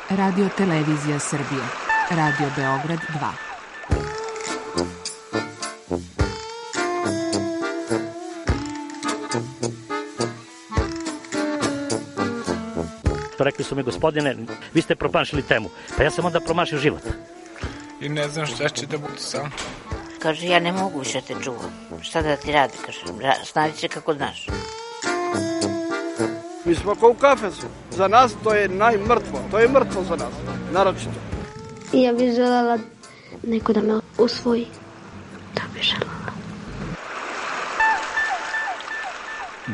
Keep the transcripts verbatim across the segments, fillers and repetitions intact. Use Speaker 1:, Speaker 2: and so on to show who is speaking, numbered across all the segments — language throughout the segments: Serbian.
Speaker 1: Radio Televizija Srbije. Radio Beograd dva.
Speaker 2: Rekli su mi, gospodine, vi ste promašili temu. Pa ja sam onda promašio život.
Speaker 3: I ne znam šta će da bude sam.
Speaker 4: Kaže, ja ne mogu više te čuvam. Šta da ti radi, kaže, snađi se kako znaš.
Speaker 5: Mi smo kao u kafesu. Za nas to je najmrtvo. To je mrtvo za nas, naročito.
Speaker 6: Ja bih želela neko da me usvoji. To bih želela.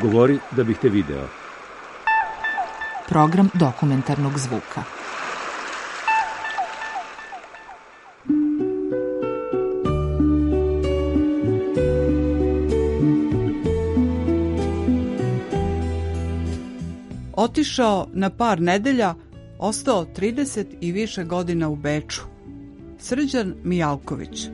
Speaker 7: Govori da bih te video.
Speaker 1: Program dokumentarnog zvuka.
Speaker 8: Otišao na par nedelja, ostao trideset i više godina u Beču. Srđan Mijalković.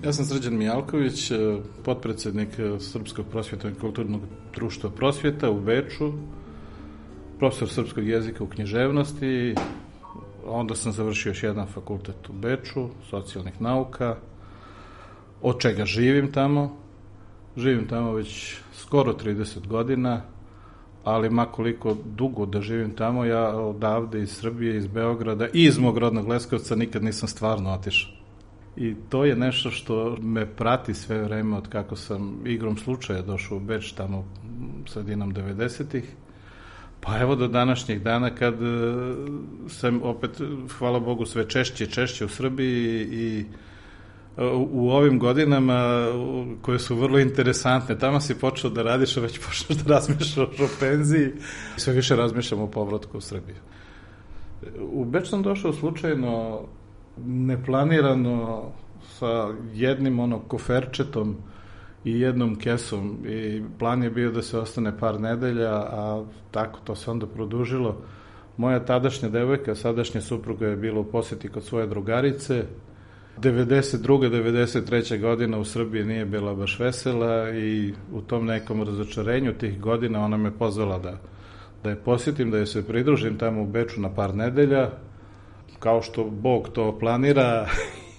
Speaker 9: Ja sam Srđan Mijalković, potpredsednik Srpskog prosvjetnog i kulturnog društva Prosvjeta u Beču, profesor srpskog jezika u književnosti. Onda sam završio još jedan fakultet u Beču, socijalnih nauka, od čega živim tamo. Živim tamo već skoro trideset godina, ali makoliko dugo da živim tamo, ja odavde iz Srbije, iz Beograda i iz mog rodnog Leskovca nikad nisam stvarno otišao. I to je nešto što me prati sve vreme od kako sam igrom slučaja došao u Beč tamo sredinom devedesetih. Pa evo do današnjeg dana kad sam opet, hvala Bogu, sve češće i češće u Srbiji i u ovim godinama koje su vrlo interesantne. Tamo si počeo da radiš, a već počneš da razmišljaš o penziji. Sve više razmišljam o povratku u Srbiju. U Beč sam došao slučajno, neplanirano, sa jednim ono koferčetom i jednom kesom i plan je bio da se ostane par nedelja, a tako to se onda produžilo. Moja tadašnja devojka, sadašnja supruga je bila u poseti kod svoje drugarice. devedeset druge devedeset treće godina u Srbiji nije bila baš vesela i u tom nekom razočarenju tih godina ona me pozvala da, da je posjetim, da je se pridružim tamo u Beču na par nedelja, kao što Bog to planira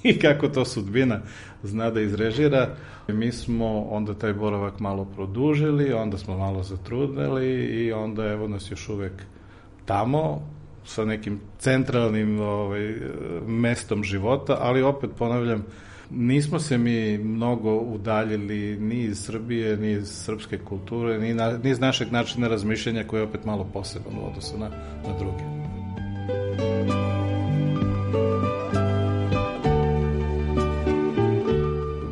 Speaker 9: i kako to sudbina zna da izrežira. Mi smo onda taj boravak malo produžili, onda smo malo zatrudneli i onda evo nas još uvek tamo sa nekim centralnim ovaj, mestom života, ali opet ponavljam, nismo se mi mnogo udaljili ni iz Srbije, ni iz srpske kulture, ni, na, ni iz našeg načina razmišljanja koji je opet malo poseban u odnosu na, na druge.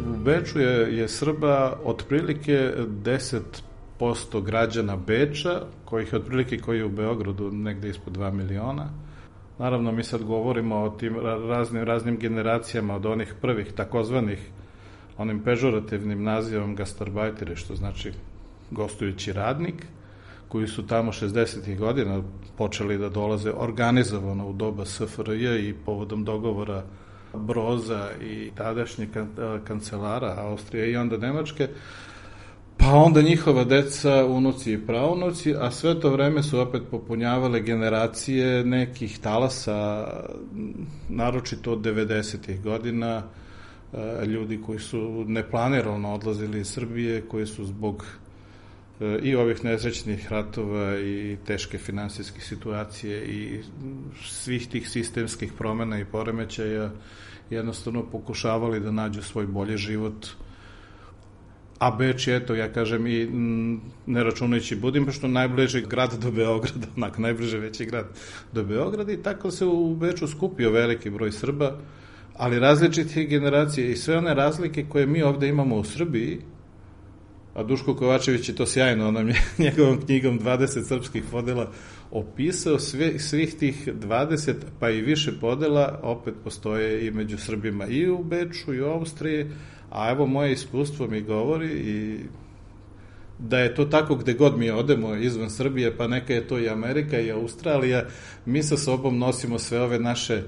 Speaker 9: U Beču je, je Srba otprilike deset posto građana Beča, kojih je otprilike koji je u Beogradu negde ispod dva miliona. Naravno, mi sad govorimo o tim raznim, raznim generacijama, od onih prvih takozvanih, onim pežorativnim nazivom gastarbajteri, što znači gostujući radnik, koji su tamo šezdesetih godina počeli da dolaze organizovano u doba S F R J i povodom dogovora Broza i tadašnje kancelara Austrije i onda Nemačke, pa onda njihova deca, unuci i praunuci, a sve to vreme su opet popunjavale generacije nekih talasa, naročito od devedesetih godina, ljudi koji su neplanirano odlazili iz Srbije, koji su zbog i ovih nesrećnih ratova i teške finansijske situacije i svih tih sistemskih promena i poremećaja jednostavno pokušavali da nađu svoj bolji život. A Beč je, eto, ja kažem, i ne računajući Budimpeštu, najbliži grad do Beograda, onako, najbliže veći grad do Beograda, i tako se u Beču skupio veliki broj Srba, ali različitih generacija i sve one razlike koje mi ovde imamo u Srbiji, a Duško Kovačević je to sjajno, onom je njegovom knjigom dvadeset srpskih podela opisao, sve, svih tih dvadeset pa i više podela opet postoje i među Srbima i u Beču i u Austriji, a evo moje iskustvo mi govori i da je to tako gde god mi odemo izvan Srbije, pa neka je to i Amerika i Australija, mi sa sobom nosimo sve ove naše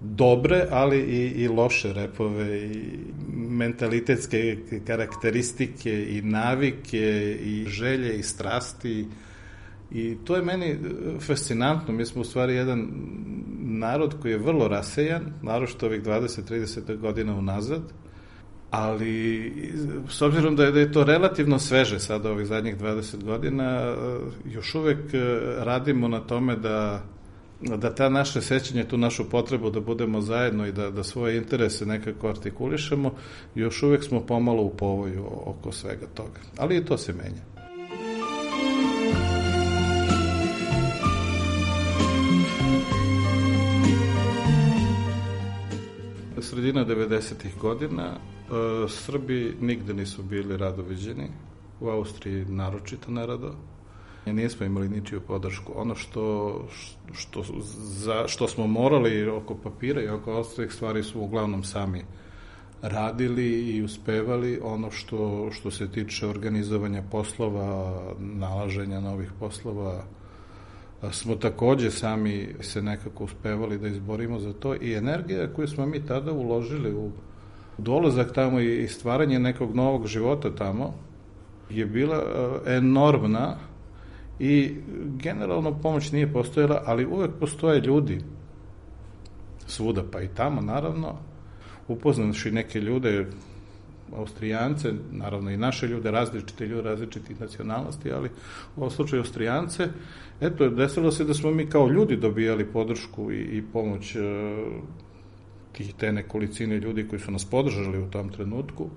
Speaker 9: dobre, ali i, i loše repove, i mentalitetske karakteristike, i navike, i želje, i strasti. I to je meni fascinantno. Mi smo u stvari jedan narod koji je vrlo rasejan, naročito ovih dvadeset trideset godina unazad, ali s obzirom da je, da je to relativno sveže sada ovih zadnjih dvadeset godina, još uvek radimo na tome da da ta naše sećanje, tu našu potrebu da budemo zajedno i da, da svoje interese nekako artikulišemo, još uvek smo pomalo u povoju oko svega toga. Ali i to se menja. Sredina devedesetih godina Srbi nigde nisu bili rado viđeni, u Austriji naročito nerado. Nismo imali ničiju podršku. Ono što, što, za, što smo morali oko papira i oko ostalih stvari su uglavnom sami radili i uspevali. Ono što, što se tiče organizovanja poslova, nalaženja novih poslova, smo takođe sami se nekako uspevali da izborimo za to i energija koju smo mi tada uložili u dolazak tamo i stvaranje nekog novog života tamo je bila enormna. I generalno pomoć nije postojala, ali uvek postoje ljudi svuda, pa i tamo naravno, upoznavši neke ljude, Austrijance, naravno i naše ljude, različite ljude, različitih nacionalnosti, ali u ovom slučaju Austrijance, eto, desilo se da smo mi kao ljudi dobijali podršku i, i pomoć e, tih te nekolicine ljudi koji su nas podržali u tom trenutku.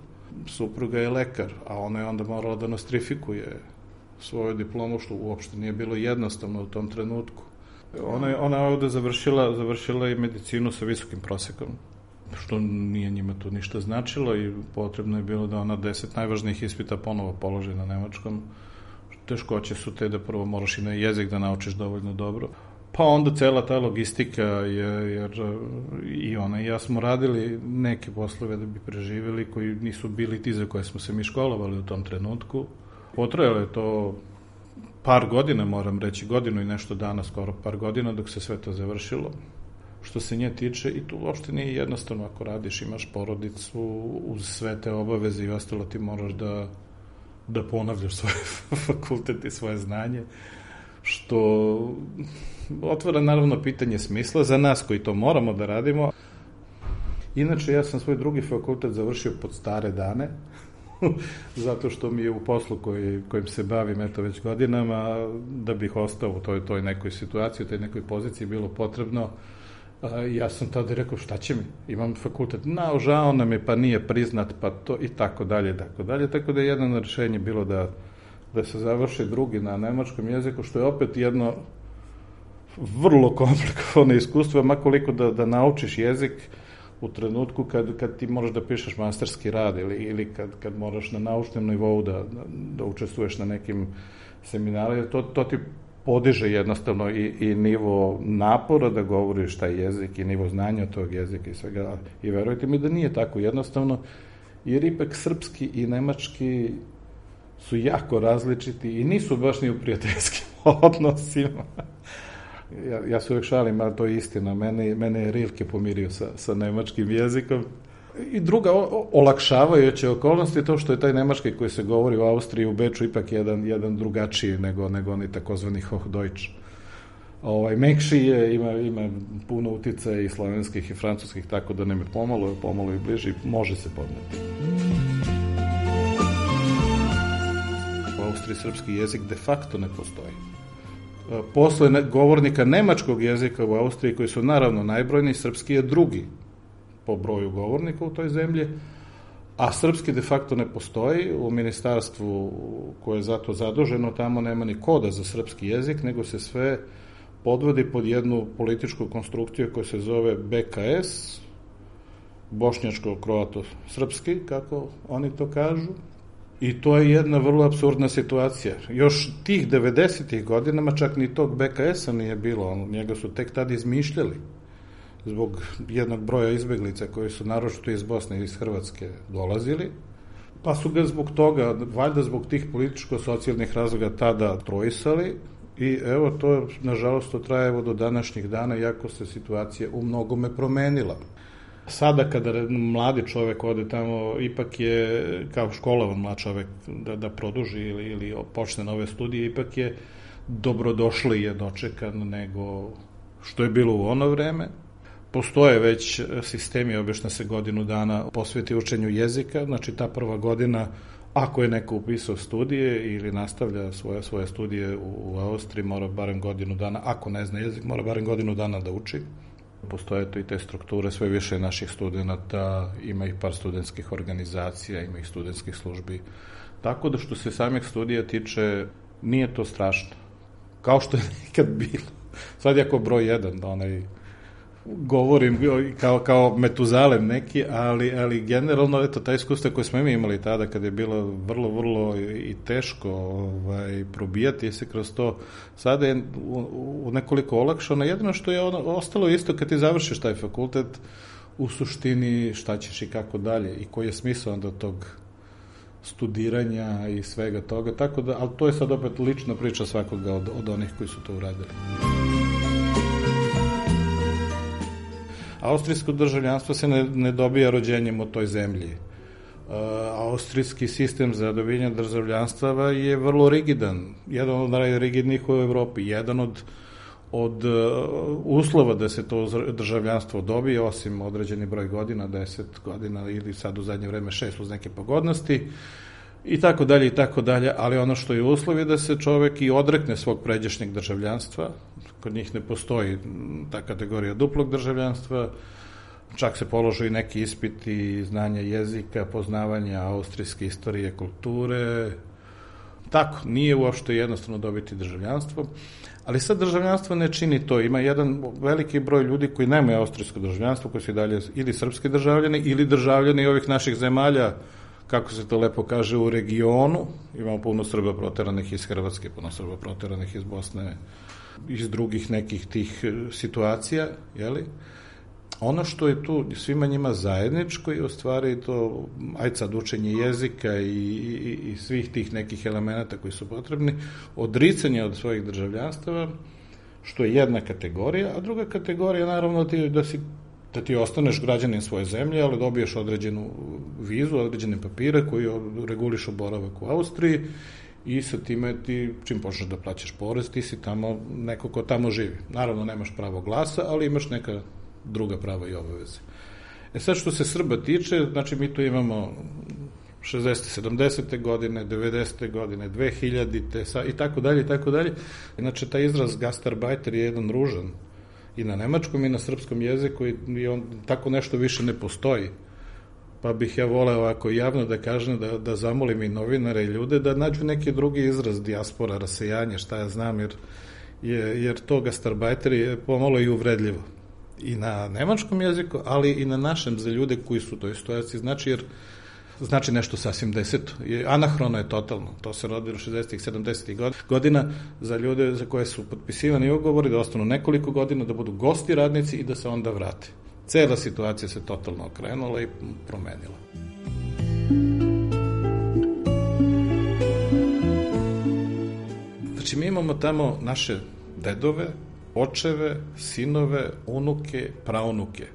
Speaker 9: Supruga je lekar, a ona je onda morala da nostrifikuje svoju diplomu, što uopšte nije bilo jednostavno u tom trenutku. Ona je, ona je ovde završila, završila i medicinu sa visokim prosekom, što nije njima to ništa značilo i potrebno je bilo da ona deset najvažnijih ispita ponovo položi na nemačkom. Teškoće su te da prvo moraš i na jezik da naučiš dovoljno dobro. Pa onda cela ta logistika, je, jer i ona i ja smo radili neke poslove da bi preživjeli koji nisu bili ti za koje smo se mi školovali u tom trenutku. Potrajalo je to par godina, moram reći, godinu i nešto dana, skoro par godina, dok se sve to završilo. Što se nje tiče, i tu uopšte nije jednostavno ako radiš, imaš porodicu, uz sve te obaveze i ostalo ti moraš da, da ponavljaš svoj fakultet i svoje znanje, što otvara naravno pitanje smisla za nas koji to moramo da radimo. Inače, ja sam svoj drugi fakultet završio pod stare dane, zato što mi je u poslu koji, kojim se bavim eto već godinama, da bih ostao u toj, toj nekoj situaciji, u toj nekoj poziciji bilo potrebno. Ja sam tada rekao šta će mi, imam fakultet, no, žao nam je, pa nije priznat, pa to i tako dalje, tako dalje, tako da je jedno rešenje bilo da, da se završi drugi na nemačkom jeziku, što je opet jedno vrlo komplikovano iskustvo, makoliko da, da naučiš jezik u trenutku kad, kad ti moraš da pišeš masterski rad ili, ili kad, kad moraš na naučnom nivou da, da, da učestvuješ na nekim seminarima, to, to ti podiže jednostavno i, i nivo napora da govoriš taj jezik i nivo znanja tog jezika i svega. I verujte mi da nije tako jednostavno, jer ipak srpski i nemački su jako različiti i nisu baš ni u prijateljskim odnosima. Ja, ja se uvek šalim, ali to je istina. Mene, mene je Rilke pomirio sa, sa nemačkim jezikom. I druga o, olakšavajuća okolnost je to što je taj nemački koji se govori u Austriji, u Beču, ipak jedan, jedan drugačiji nego, nego oni takozvani Hochdeutsch. Ovaj, mekši je, ima, ima puno uticaja i slovenskih i francuskih, tako da nam je pomalo, pomalo i bliži, može se podneti. U Austriji srpski jezik de facto ne postoji. Posle govornika nemačkog jezika u Austriji, koji su naravno najbrojniji, srpski je drugi po broju govornika u toj zemlji, a srpski de facto ne postoji. U ministarstvu koje je zato zaduženo, tamo nema ni koda za srpski jezik, nego se sve podvodi pod jednu političku konstrukciju koja se zove B K S, bošnjačko-kroato-srpski, kako oni to kažu. I to je jedna vrlo apsurdna situacija. Još tih devedesetih godinama čak ni tog B K S-a nije bilo, njega su tek tad izmišljali zbog jednog broja izbeglica koji su naročito iz Bosne i iz Hrvatske dolazili, pa su ga zbog toga, valjda zbog tih političko-socijalnih razloga tada trojisali I evo to, nažalost, to traje evo do današnjih dana, iako se situacija u mnogome promenila. Sada kada mladi čovek ode tamo, ipak je, kao školovan mlad čovek, da, da produži ili, ili počne nove studije, ipak je dobrodošli je dočekan nego što je bilo u ono vreme. Postoje već sistemi, obično se godinu dana posveti učenju jezika, znači ta prva godina, ako je neko upisao studije ili nastavlja svoje, svoje studije u, u Austriji, mora barem godinu dana, ako ne zna jezik, mora barem godinu dana da uči. Postoje to i te strukture, sve više naših studenta, ima ih par studentskih organizacija, ima ih studentskih službi. Tako da što se samih studija tiče, nije to strašno. Kao što je nekad bilo. Sad je ako broj jedan, onaj, govorim kao, kao Metuzalem neki, ali, ali generalno, eto, ta iskustva koje smo mi imali tada, kada je bilo vrlo, vrlo i teško ovaj, probijati se kroz to, sada je u, u nekoliko olakšano. Jedino što je ono, ostalo isto kad ti završiš taj fakultet, u suštini šta ćeš i kako dalje i koji je smisao onda tog studiranja i svega toga, tako da, ali to je sad opet lična priča svakoga od, od onih koji su to uradili. Austrijsko državljanstvo se ne, ne dobija rođenjem u toj zemlji. Uh, austrijski sistem za dobijanje državljanstva je vrlo rigidan, jedan od najrigidnijih u Evropi, jedan od, od uh, uslova da se to državljanstvo dobije, osim određeni broj godina, deset godina ili sad u zadnje vreme šest uz neke pogodnosti, i tako dalje, i tako dalje, ali ono što je uslov je da se čovek i odrekne svog pređašnjeg državljanstva, kod njih ne postoji ta kategorija duplog državljanstva, čak se položu i neki ispiti znanja jezika, poznavanja austrijske istorije, kulture, tako, nije uopšte jednostavno dobiti državljanstvo, ali sad državljanstvo ne čini to, ima jedan veliki broj ljudi koji nemaju austrijsko državljanstvo, koji su i dalje ili srpski državljani, ili državljani ovih naših zemalja, kako se to lepo kaže, u regionu. Imamo puno Srba proteranih iz Hrvatske, puno Srba proteranih iz Bosne, iz drugih nekih tih situacija, jeli? Ono što je tu svima njima zajedničko je u stvari to, ajde sad, učenje jezika i, i, i svih tih nekih elemenata koji su potrebni, odricanje od svojih državljanstava, što je jedna kategorija, a druga kategorija naravno ti, da si da ti ostaneš građanin svoje zemlje, ali dobiješ određenu vizu, određene papire koji regulišu boravak u Austriji i sa time ti, čim počneš da plaćaš porez, ti si tamo neko ko tamo živi. Naravno, nemaš pravo glasa, ali imaš neka druga prava i obaveze. E sad, što se Srba tiče, znači mi tu imamo šezdeset sedamdesete godine, devedesete godine, dve hiljadite i tako dalje, i tako dalje. Znači, taj izraz gastarbeiter je jedan ružan i na nemačkom i na srpskom jeziku i on tako nešto više ne postoji. Pa bih ja voleo ovako javno da kažem, da, da zamolim i novinare i ljude da nađu neki drugi izraz, dijaspora, rasejanje, šta ja znam, jer, je, jer to gastarbeiter je pomalo i uvredljivo. I na nemačkom jeziku, ali i na našem za ljude koji su u toj situaciji, znači jer znači nešto sasvim deseto. Anahrono je totalno. To se rodilo šezdesetih sedamdesetih godina za ljude za koje su potpisivani ugovori da ostanu nekoliko godina, da budu gosti radnici i da se onda vrate. Cela situacija se totalno okrenula i promenila. Znači mi imamo tamo naše dedove, očeve, sinove, unuke, praunuke.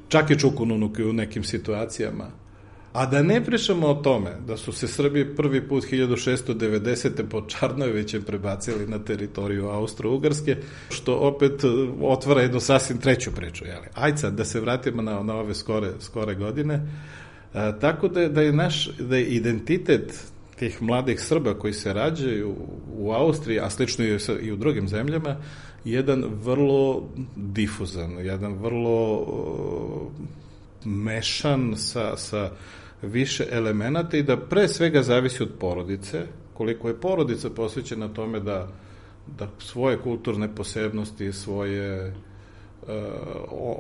Speaker 9: Čak i čukununuke u nekim situacijama. A da ne pričamo o tome da su se Srbi prvi put hiljadu šeststo devedesete pod Čarnojevićem prebacili na teritoriju Austro-Ugarske, što opet otvara jednu sasvim treću priču. Jeli? Ajde sad da se vratimo na, na ove skore, skore godine. A, tako da je, da je naš da je identitet tih mladih Srba koji se rađaju u Austriji, a slično i u drugim zemljama, jedan vrlo difuzan, jedan vrlo uh, mešan sa, sa više elemenata i da pre svega zavisi od porodice, koliko je porodica posvećena tome da, da svoje kulturne posebnosti, svoje uh,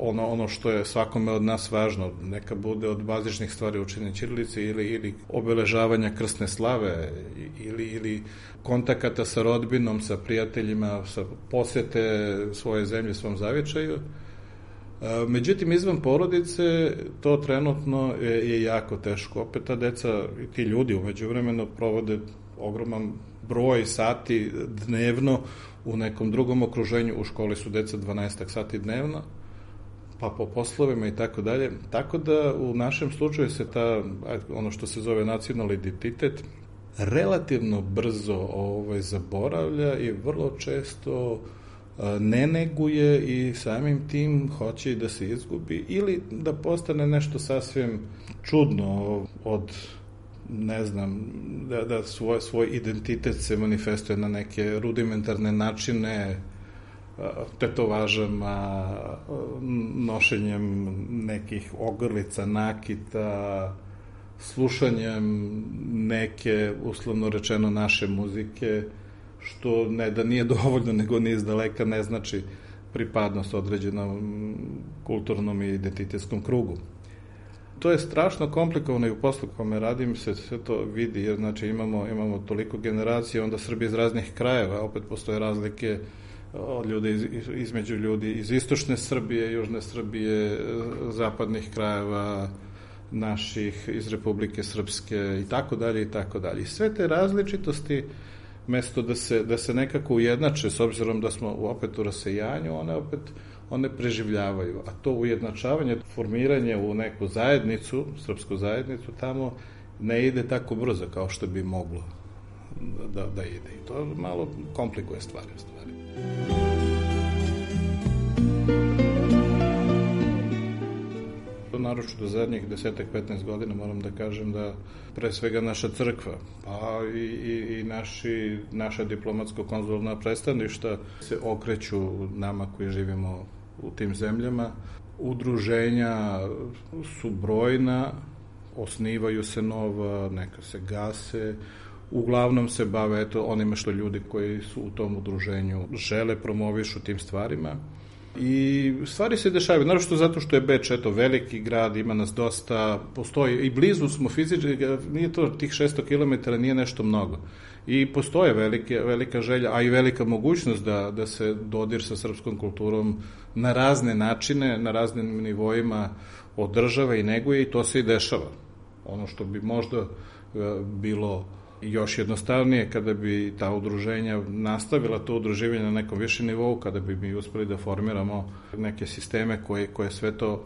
Speaker 9: ono, ono što je svakome od nas važno, neka bude od bazičnih stvari učenja ćirilice ili, ili obeležavanja krsne slave ili, ili kontakata sa rodbinom, sa prijateljima, sa posete svoje zemlje, svom zavičaju. Međutim, izvan porodice to trenutno je, je jako teško. Opet ta deca i ti ljudi umeđu vremenu provode ogroman broj sati dnevno u nekom drugom okruženju, u školi su deca dvanaest sati dnevno, pa po poslovima i tako dalje. Tako da u našem slučaju se ta, ono što se zove nacionalni identitet, relativno brzo ovaj, zaboravlja i vrlo često ne neguje i samim tim hoće i da se izgubi ili da postane nešto sasvim čudno od, ne znam, da, da svoj, svoj identitet se manifestuje na neke rudimentarne načine, tetovažama, nošenjem nekih ogrlica, nakita, slušanjem neke, uslovno rečeno, naše muzike, što ne da nije dovoljno, nego ni izdaleka ne znači pripadnost određenom kulturnom i identitetskom krugu. To je strašno komplikovano i u poslu kome radim se sve to vidi, jer znači imamo, imamo toliko generacija, onda Srbije iz raznih krajeva, opet postoje razlike od ljudi, iz, između ljudi iz istočne Srbije, južne Srbije, zapadnih krajeva, naših, iz Republike Srpske i tako dalje i tako dalje. Sve te različitosti, mesto da se, da se nekako ujednače, s obzirom da smo opet u rasejanju, one opet one preživljavaju. A to ujednačavanje, formiranje u neku zajednicu, srpsku zajednicu, tamo ne ide tako brzo kao što bi moglo da, da ide. I to malo komplikuje stvari u stvari. Naročito do zadnjih deset do petnaest godina moram da kažem da pre svega naša crkva, pa i, i, i naši, naša diplomatsko-konzularna predstavništva se okreću nama koji živimo u tim zemljama. Udruženja su brojna, osnivaju se nova, neka se gase, uglavnom se bave eto, onime što ljudi koji su u tom udruženju žele, promovišu tim stvarima. I stvari se dešavaju, naročito zato što je Beč, eto, veliki grad, ima nas dosta, postoji, i blizu smo fizički, nije to tih šesto kilometara, nije nešto mnogo. I postoje velike, velika želja, a i velika mogućnost da, da se dodir sa srpskom kulturom na razne načine, na raznim nivoima održava i neguje i to se i dešava. Ono što bi možda bilo još jednostavnije kada bi ta udruženja nastavila to udruživanje na nekom višem nivou, kada bi mi uspeli da formiramo neke sisteme koje, koje sve to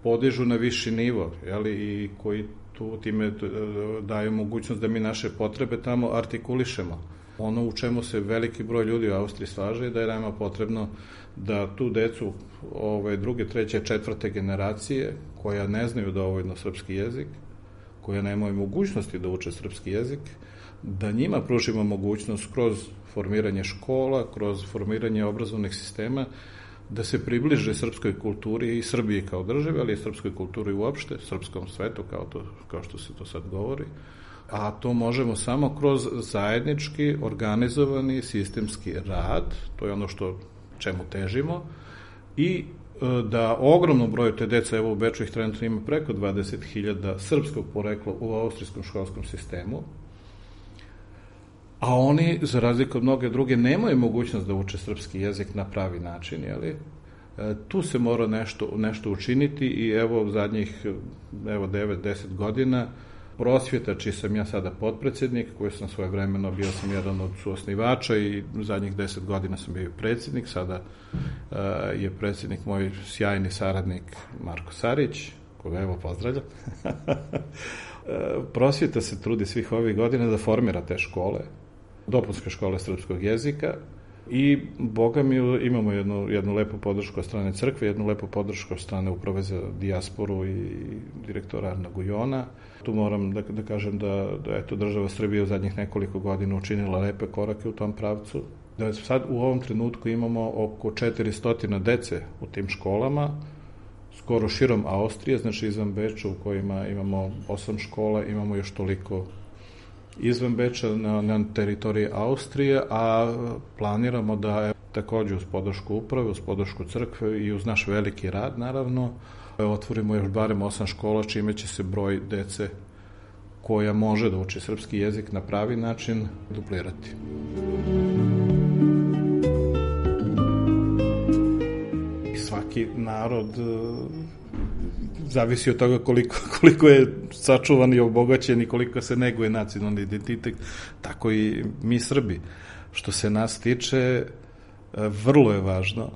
Speaker 9: podižu na viši nivo, jeli, i koji tu time daju mogućnost da mi naše potrebe tamo artikulišemo. Ono u čemu se veliki broj ljudi u Austriji slaže je da je nama potrebno da tu decu ove druge, treće, četvrte generacije koja ne znaju dovoljno srpski jezik, koja nemaju mogućnosti da uče srpski jezik, da njima pružimo mogućnost kroz formiranje škola, kroz formiranje obrazovnih sistema, da se približe srpskoj kulturi i Srbiji kao državi, ali i srpskoj kulturi uopšte, srpskom svetu, kao, to, kao što se to sad govori. A to možemo samo kroz zajednički, organizovani, sistemski rad, to je ono što čemu težimo, i da ogromnom broju te dece, evo u Beču ih trenutno ima preko dvadeset hiljada srpskog porekla u austrijskom školskom sistemu, a oni, za razliku od mnoge druge, nemaju mogućnost da uče srpski jezik na pravi način, jeli? Tu se mora nešto, nešto učiniti i evo zadnjih evo devet do deset godina prosvjeta, čiji sam ja sada potpredsjednik, koji sam svoje vremeno, bio sam jedan od suosnivača i zadnjih deset godina sam bio predsjednik, sada uh, je predsjednik moj sjajni saradnik Marko Sarić, koga evo pozdravljam. Prosvjeta se trudi svih ovih godina da formira te škole, dopunske škole srpskog jezika, i boga mi imamo jednu, jednu lepu podršku od strane crkve, jednu lepu podršku od strane Uprave za dijasporu i direktora Arna Gujona. Tu moram da, da kažem da, da eto, država Srbije u zadnjih nekoliko godina učinila lepe korake u tom pravcu. Da sad u ovom trenutku imamo oko četiristo dece u tim školama, skoro širom Austrije, znači izvan Beča, u kojima imamo osam škola, imamo još toliko izvan Beča na, na teritoriji Austrije, a planiramo da takođe uz podršku uprave, uz podršku crkve i uz naš veliki rad, naravno, otvorimo još barem osam škola, čime će se broj dece koja može da uči srpski jezik na pravi način duplirati. I svaki narod zavisi od toga koliko, koliko je sačuvan i obogaćen i koliko se neguje nacionalni identitet, tako i mi Srbi. Što se nas tiče, vrlo je važno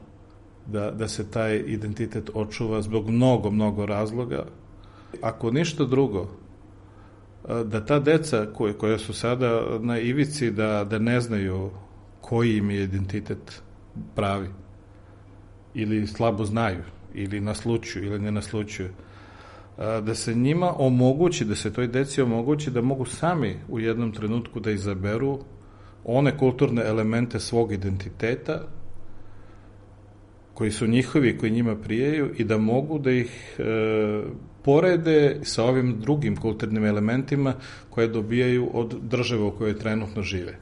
Speaker 9: da, da se taj identitet očuva zbog mnogo, mnogo razloga. Ako ništa drugo, da ta deca koje, koje su sada na ivici da, da ne znaju koji im je identitet pravi, ili slabo znaju, ili naslučuju, ili ne naslučuju, da se njima omogući, da se toj deci omogući da mogu sami u jednom trenutku da izaberu one kulturne elemente svog identiteta koji su njihovi, koji njima prijaju i da mogu da ih e, porede sa ovim drugim kulturnim elementima koje dobijaju od države u kojoj trenutno žive.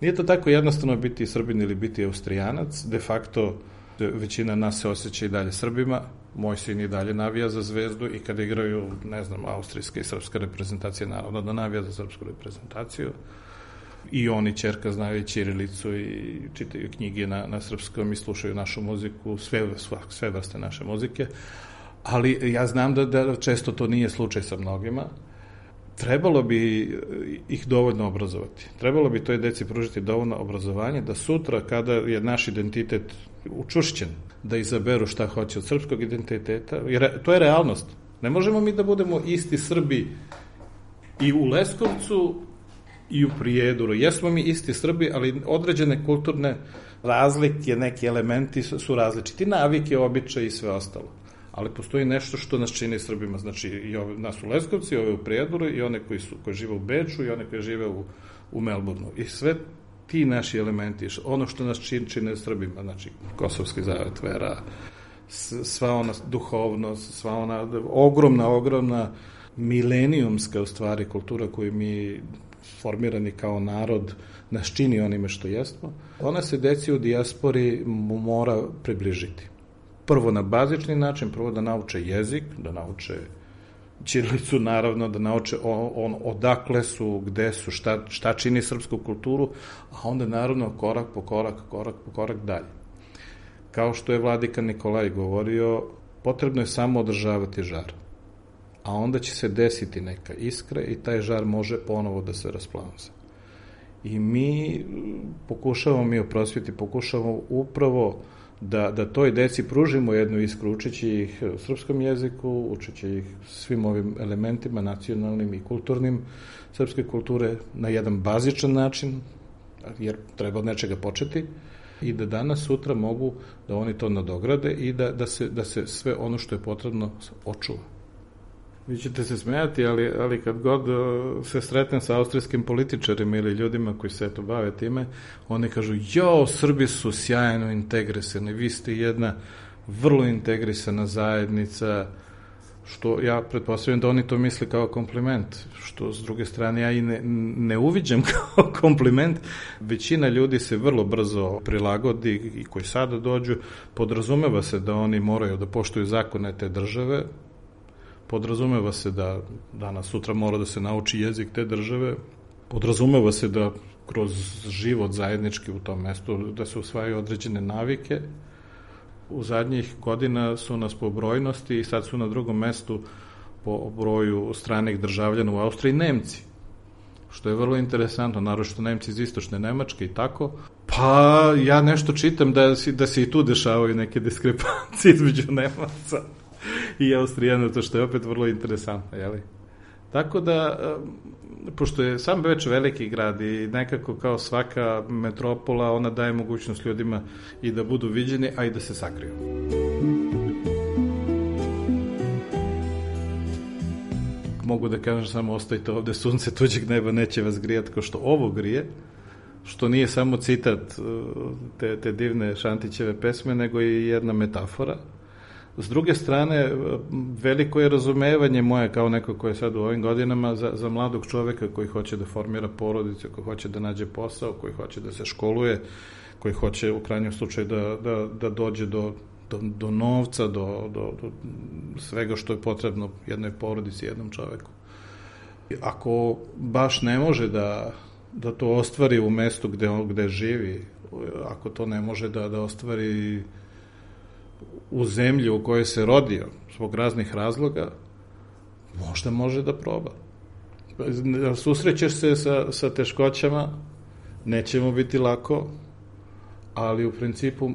Speaker 9: Nije to tako jednostavno biti Srbin ili biti Austrijanac, de facto većina nas se osjeća i dalje Srbima, moj sin i dalje navija za Zvezdu i kada igraju, ne znam, austrijska i srpska reprezentacija, naravno da navija za srpsku reprezentaciju. I oni, ćerka, znaju i ćirilicu i čitaju knjige na, na srpskom i slušaju našu muziku, sve, sve vrste naše muzike, ali ja znam da, da često to nije slučaj sa mnogima. Trebalo bi ih dovoljno obrazovati. Trebalo bi toj deci pružiti dovoljno obrazovanje da sutra, kada je naš identitet učvršćen, da izaberu šta hoće od srpskog identiteta, jer to je realnost. Ne možemo mi da budemo isti Srbi i u Leskovcu i u Prijedoru. Jesmo mi isti Srbi, ali određene kulturne razlike, neki elementi su različiti, navike, običaje i sve ostalo. Ali postoji nešto što nas čini Srbima, znači i ove, nas u Leskovci, ove u Prijedoru i one koji, su, koji žive u Beču i one koji žive u, u Melbourneu. I sve ti naši elementi, ono što nas čini, čine Srbima, znači kosovski zavet, vera, sva ona duhovnost, sva ona ogromna, ogromna milenijumska u stvari kultura koju mi formirani kao narod nas čini onime što jesmo, ona se deci u dijaspori mora približiti. Prvo na bazični način, prvo da nauče jezik, da nauče ćirilicu, naravno, da nauče on, on, odakle su, gde su, šta, šta čini srpsku kulturu, a onda naravno korak po korak, korak po korak dalje. Kao što je vladika Nikolaj govorio, potrebno je samo održavati žar, a onda će se desiti neka iskra i taj žar može ponovo da se rasplamsa. I mi pokušavamo, mi u prosvjeti pokušavamo upravo da, da toj deci pružimo jednu iskru, učeći ih srpskom jeziku, učeći ih svim ovim elementima nacionalnim i kulturnim srpske kulture na jedan bazičan način, jer treba od nečega početi, i da danas, sutra mogu da oni to nadograde i da, da, se, da se sve ono što je potrebno očuva. Vi ćete se smijati, ali, ali kad god se sretnem sa austrijskim političarima ili ljudima koji se eto bave time, oni kažu, jo, Srbi su sjajno integrisani, vi ste jedna vrlo integrisana zajednica, što ja pretpostavljam da oni to misle kao kompliment, što s druge strane ja i ne, ne uviđam kao kompliment. Većina ljudi se vrlo brzo prilagodi i koji sada dođu, podrazumeva se da oni moraju da poštuju zakone te države, podrazumeva se da danas sutra mora da se nauči jezik te države, podrazumeva se da kroz život zajednički u tom mestu da se usvajaju određene navike. U zadnjih godina su nas po brojnosti i sad su na drugom mestu po broju stranih državljana u Austriji Nemci, što je vrlo interesantno, naročito Nemci iz istočne Nemačke i tako. Pa ja nešto čitam da, da se i tu dešavaju neke diskrepancije između Nemaca i Austrijana, to što je opet vrlo interesantno, jeli? Tako da, pošto je sam Beč veliki grad i nekako kao svaka metropola, ona daje mogućnost ljudima i da budu viđeni, a i da se sakriju. Mogu da kažem samo, ostajte ovde, sunce tuđeg neba neće vas grijati kao što ovo grije, što nije samo citat te, te divne Šantićeve pesme, nego i jedna metafora. S druge strane, veliko je razumevanje moje kao neko koje je sad u ovim godinama za, za mladog čoveka koji hoće da formira porodicu, koji hoće da nađe posao, koji hoće da se školuje, koji hoće u krajnjem slučaju da, da, da dođe do, do, do novca, do, do, do svega što je potrebno jednoj porodici, jednom čoveku. Ako baš ne može da, da to ostvari u mestu gde, gde živi, ako to ne može da, da ostvari u zemlji u kojoj se rodio zbog raznih razloga, možda može da proba. Susrećeš se sa, sa teškoćama, neće mu biti lako, ali u principu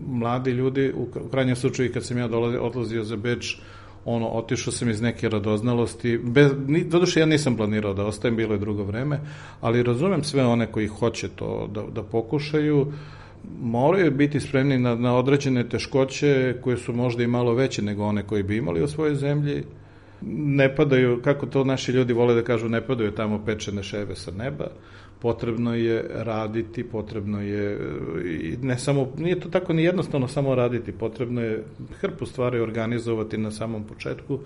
Speaker 9: mladi ljudi, u krajnjem slučaju kad sam ja odlazio za Beč, ono, otišao sam iz neke radoznalosti, bez, doduše ja nisam planirao da ostajem, bilo je drugo vreme, ali razumem sve one koji hoće to da, da pokušaju, moraju biti spremni na, na određene teškoće koje su možda i malo veće nego one koji bi imali u svojoj zemlji. Ne padaju, kako to naši ljudi vole da kažu, ne padaju tamo pečene ševe sa neba. Potrebno je raditi, potrebno je, ne samo, nije to tako ni jednostavno samo raditi, potrebno je hrpu stvari organizovati na samom početku,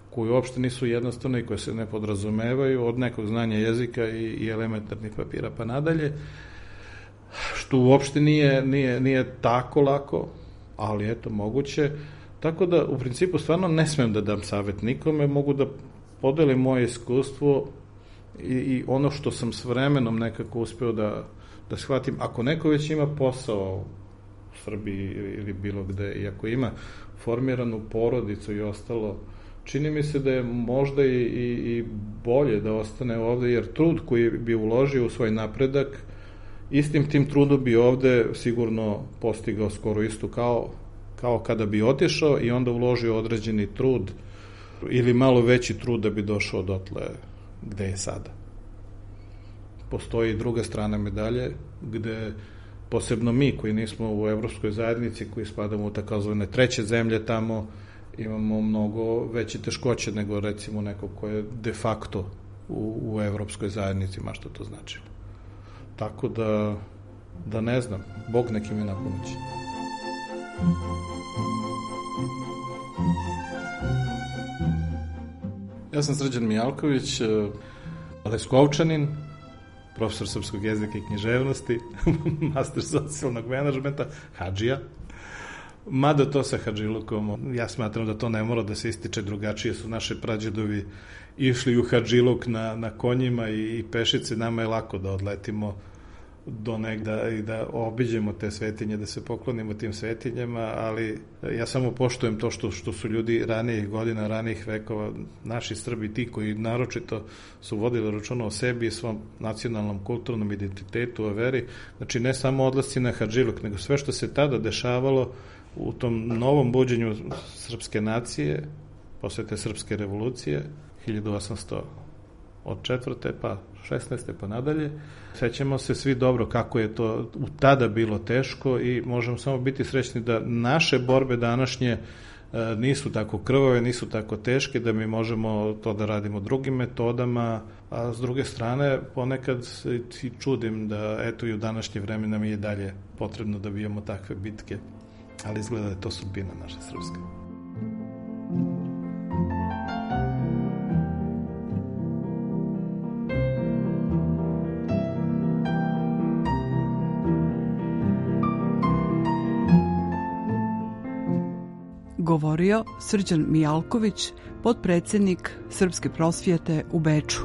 Speaker 9: koje uopšte nisu jednostavne i koje se ne podrazumevaju, od nekog znanja jezika i, i elementarnih papira pa nadalje, što uopšte nije, nije, nije tako lako, ali eto, moguće. Tako da, u principu, stvarno ne smem da dam savjet nikome, mogu da podelim moje iskustvo i, i ono što sam s vremenom nekako uspeo da, da shvatim. Ako neko već ima posao u Srbiji ili bilo gde, i ako ima formiranu porodicu i ostalo, čini mi se da je možda i, i, i bolje da ostane ovde, jer trud koji bi uložio u svoj napredak, istim tim trudom bi ovde sigurno postigao skoro isto kao kao kada bi otišao i onda uložio određeni trud ili malo veći trud da bi došao dotle gde je sada. Postoji i druga strana medalje, gde posebno mi koji nismo u evropskoj zajednici, koji spadamo u takozvane treće zemlje tamo, imamo mnogo veće teškoće nego recimo neko ko je de facto u, u evropskoj zajednici, ma što to znači. Tako da, da ne znam, Bog neki mi napomoći. Ja sam Srđan Mijalković, Leskovčanin, profesor srpskog jezika i književnosti, master socijalnog menadžmenta, hadžija. Mada to sa hadžilukom, ja smatram da to ne mora da se ističe, drugačije su naše prađedovi išli u hadžiluk na, na konjima i, i pešice, nama je lako da odletimo do negda i da obiđemo te svetinje, da se poklonimo tim svetinjama, ali ja samo poštujem to što, što su ljudi ranijih godina, ranijih vekova, naši Srbi, ti koji naročito su vodili računa o sebi i svom nacionalnom kulturnom identitetu, o veri, znači ne samo odlasci na hadžiluk, nego sve što se tada dešavalo u tom novom buđenju srpske nacije, posle te srpske revolucije, hiljadu osamsto četvrte pa šesnaeste pa nadalje. Sećamo se svi dobro kako je to u tada bilo teško i možemo samo biti srećni da naše borbe današnje nisu tako krvave, nisu tako teške, da mi možemo to da radimo drugim metodama, a s druge strane ponekad se i čudim da eto i u današnje vreme nam je dalje potrebno da bijemo takve bitke, ali izgleda da je to sudbina naša srpska.
Speaker 8: Govorio Srđan Mijalković, potpredsednik Srpske prosvjete u Beču.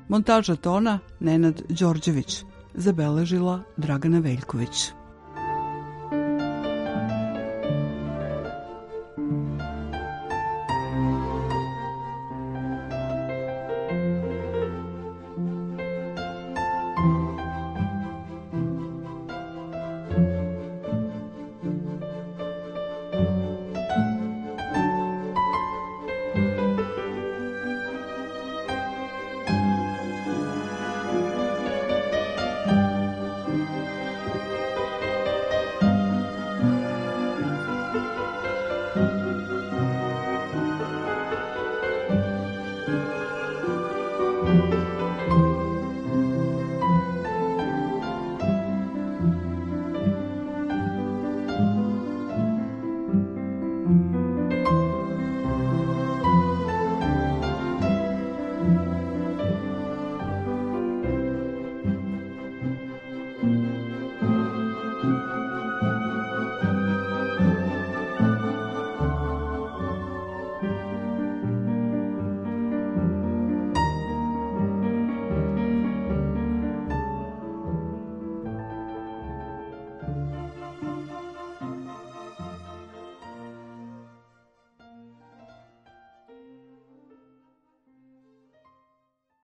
Speaker 8: Montaža tona Nenad Đorđević, zabeležila Dragana Veljković.